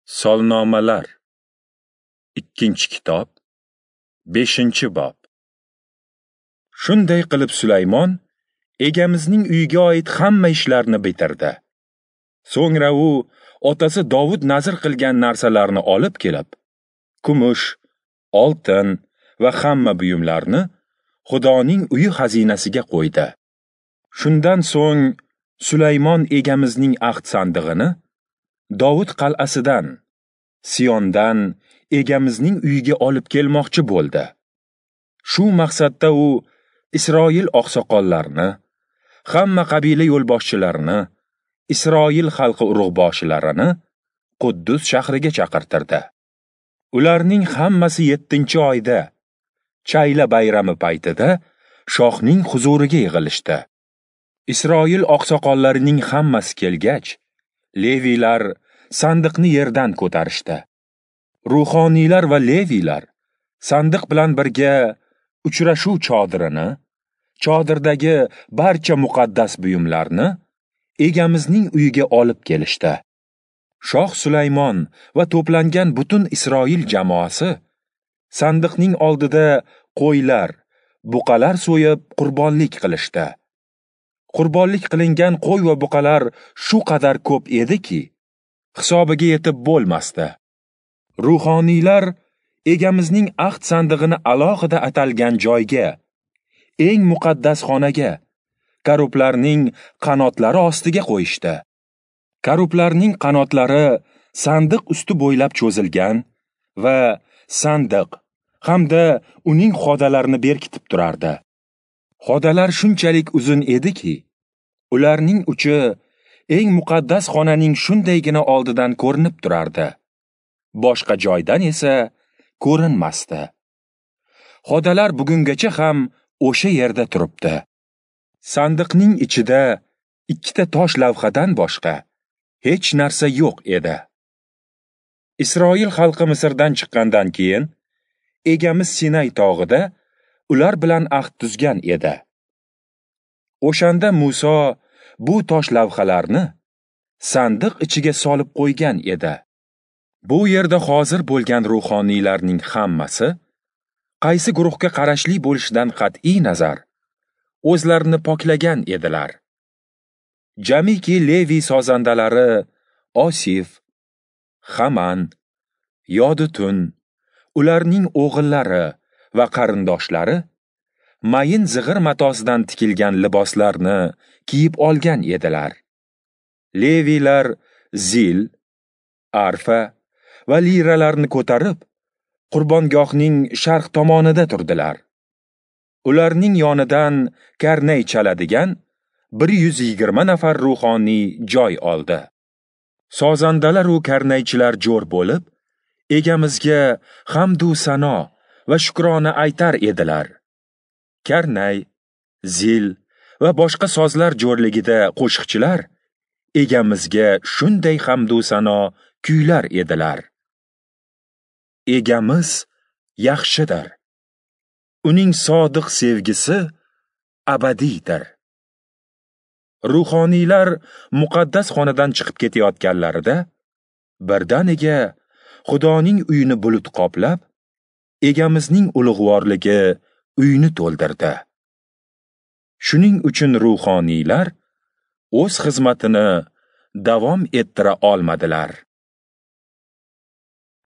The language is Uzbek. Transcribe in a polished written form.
Solnomalar. 2-kitob, 5-bob. Shunday qilib Sulaymon egamizning uyiga oid hamma ishlarni bitirdi. So'ngra u otasi Dovud nazr qilgan narsalarni olib kelib, kumush, oltin va hamma buyumlarni Xudoning uyi xazinasiga qo'ydi. Shundan so'ng Sulaymon egamizning ahd sandig'ini Dovud qal'asidan, Siyondan egamizning uyiga olib kelmoqchi bo'ldi. Shu maqsadda u Isroil oqsoqollarini, hamma qabila yo'lboshchilarini, Isroil xalqi urug'boshilarini Quddus shahriga chaqirtirdi. Ularning hammasi 7-oyda, Chayla bayrami paytida shohning huzuriga yig'ilishdi. Isroil oqsoqollarining hammasi kelgach, leviylar sandiqni yerdan ko'tarishdi. Ruhoniylar va leviylar sandiq bilan birga uchrashuv chodirini, chodirdagi barcha muqaddas buyumlarni egamizning uyiga olib kelishdi. Shoh Sulaymon va to'plangan butun Isroil jamoasi sandiqning oldida qo'ylar, buqalar so'yib qurbonlik qilishdi. Qurbonlik qilingan qo'y va buqalar shu qadar ko'p ediki, hisobiga yetib bo'lmasdi. Ruhoniylar egamizning ahd sandig'ini alohida atalgan joyga, eng muqaddas xonaga, karublarning qanotlari ostiga qo'yishdi. Karublarning qanotlari sandiq usti bo'ylab cho'zilgan va sandiq hamda uning xodalarini berkitib turardi. Xodalar shunchalik uzun ediki, ularning uchi eng muqaddas xonaning shundaygina oldidan ko'rinib turardi. Boshqa joydan esa ko'rinmasdi. Xodalar bugungacha ham o'sha yerda turibdi. Sandiqning ichida 2 tosh lavhadan boshqa hech narsa yo'q edi. Isroil xalqi Misrdan chiqqandan keyin egamiz Sinay tog'ida ular bilan ahd tuzgan edi. O'shanda Muso bu tosh lavhalarni sandiq ichiga solib qo'ygan edi. Bu yerda hozir bo'lgan ruhoniylarning hammasi qaysi guruhga qarashli bo'lishidan qat'iy nazar o'zlarini poklagan edilar. Jamiki Levi sozandalari Osif, Haman, Yodutun, ularning o'g'illari va qarindoshlari mayin zig'ir matosidan tikilgan liboslarni kiyib olgan edilar. Leviylar zil, arfa va liralarni ko'tarib, qurbongohning sharq tomonida turdilar. Ularning yonidan karnay chaladigan 120 nafar ruhoniy joy oldi. Sozandalar u karnaychilar jo'r bo'lib, egamizga hamd u sano va shukrona aytar edilar. Karnay, zil va boshqa sozlar jo'rligida qo'shiqchilar egamizga shunday hamd u sano kuylar edilar. Egamiz yaxshidir. Uning sodiq sevgisi abadiydir. Ruhoniylar muqaddas xonadan chiqib ketayotganlarida birdaniga Xudoning uyini bulut qoplab, egamizning ulug'vorligi uyni to'ldirdi. Shuning uchun ruhoniylar o'z xizmatini davom ettira olmadilar.